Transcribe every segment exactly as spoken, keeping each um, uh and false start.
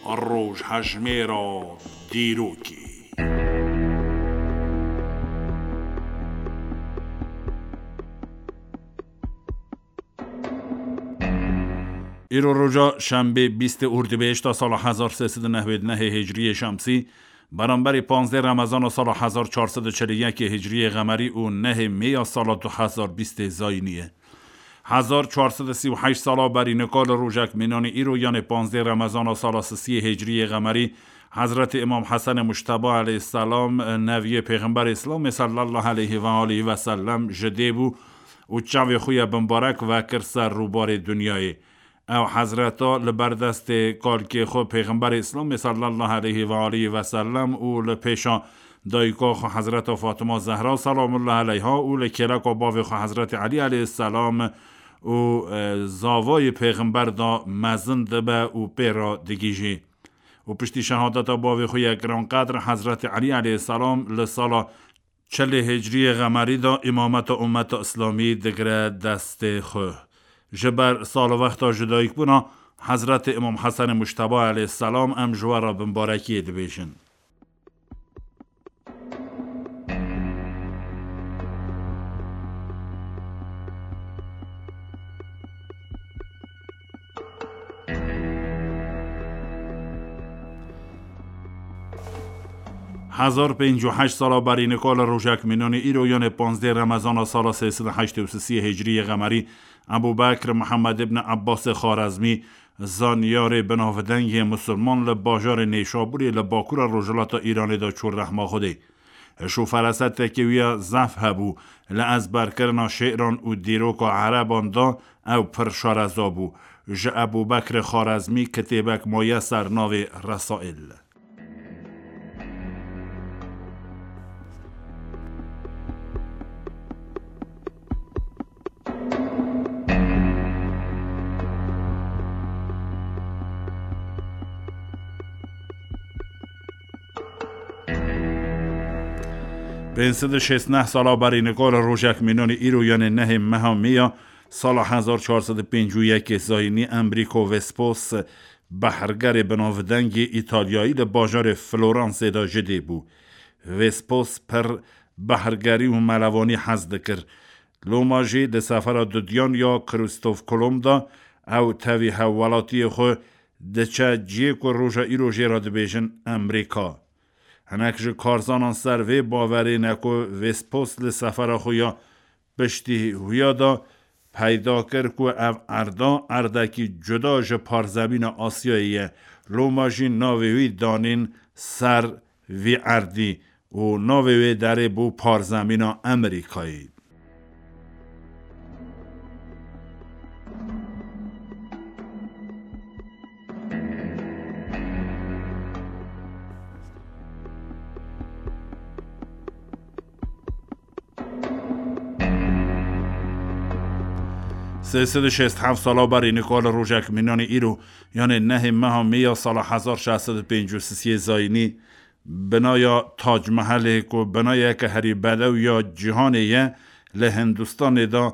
Rojhejmêra dîrokê. Îro roja şembê bîstê Ordîbehişta sala hezar sê sed û newêd nehê Hicriyê Şemsî, beramberî panzdeh Remezana sala hezar çar sed û çel û yekê Hicriyê Xemerî û nehê Mêya sala du hezar bîstê Zayînî ye. Hezar çar sed û sî û heşt sala berî nika li rojek mînanî îro, yanê panzdeh Remezana sala sisiyê Hicriyê Xemerî, Hezretî Îmam Hesenê Mujteba aleyhisselam, neviyê Pêxemberê Îslamê sallallahu aleyhi ve aleyhi ve sellem ji dê bû û çavê xwe ye bimbarek vekir ser rûbarê dinyayê. Ew hezreta li ber destê kalkê xwe Pêxemberê Îslamê sallallahu aleyhi ve aleyhi ve sellem û li pêşa dayika xwe Hezreta Fatima Zehra selamullahi aleyha û li kêleka bavê xwe Hezretî Elî aleyhisselam û, e, zavayê Pêxember de mezin dibe û pê re digihîjê. Û piştî şehadeta bavê xwe yê giranqedr Hezretî Elî aleyhisselam li sala çelê Hicriyê Xemerî de îmameta ummeta Îslamî digire destê xwe. Ji ber salwexta jidayîkbûna Hezretê Îmam Hesenê Mujteba aleyhisselam em ji we re bimbarekiyê dibêjin. Hezar pêncî û heşt sala berî nika li rojek mînanî îro, yanê panzdeh Remezana sala sê sed û heştê û sisiyê Hicriyê Xemerî, Ebû Bekr Mihemed ibn Ebbasê Xarezmî, zanyarê binavdengê musulman li bajarê Nêşabûrê li bakûra rojhilata Îranê de çû rehma Xwedê. Hişk û ferasetekî wî ya zehf hebû, li ezberkirina şê'ran û dîroka ereban de ew pir şareza bû. Ji Ebû Bekrê Xarezmî kitêbek maye ser navê Resail. Pênc sed û şêst neh sala berî nika li rojek mînanî îro, yanê nehê meha Mêya sala hezar çar sed û pêncî û yekê Zayînî, Emrîko Vespos, behrgerê binavdengê Îtalyayî, li bajarê Floransê de ji dê bû. Vespos pir behrgerî û melevanî hez dikir. Loma jî di sefera dudiyan ya Kristof Kolomb de ew tevî hevwelatiyê xwe diçe cihê ku roja îro jê re dibêjin Emrîka. Hinek ji karzanan ser vê bawerê ne ku Vespos li sefera xwe ya piştî huya de peyda kir ku ev erda erdekî cuda ji parzemîna Asyayê ye. Loma jî navê wî danîn ser vî erdî û navê wê derê bû parzemîna Amerîkayê. Sê sed û şêst heft sala berî nika li rojek mînanî îro, yanê nehê meha Mêya sala hezar şeş sed û pêncî û sisiyê Zayînî, binaya Tac Mehelê ku binayeke herî bedew ya cîhanê ye, li Hindistanê de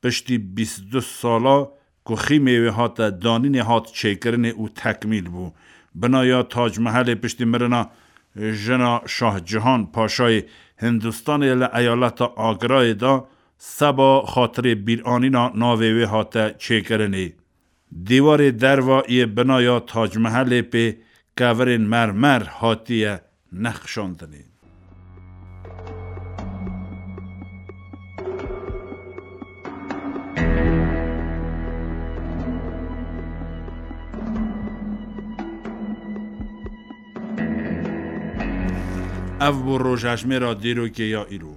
piştî bîst û du sala ku xîmê wê hate danînê, hat çêkirinê û tekmîl bû. Binaya Tac Mehelê piştî mirina jina Şah Cihan Paşayê Hindistanê li eyaleta Agrayê de seba xatirê bîranîna navê wê hate çêkirinê. Dîwarê derva yê binaya Tac Mehelê pê kevirên mermer hatiye nexşandinê. Ev bû rojhejmêra dîrokê ya îro.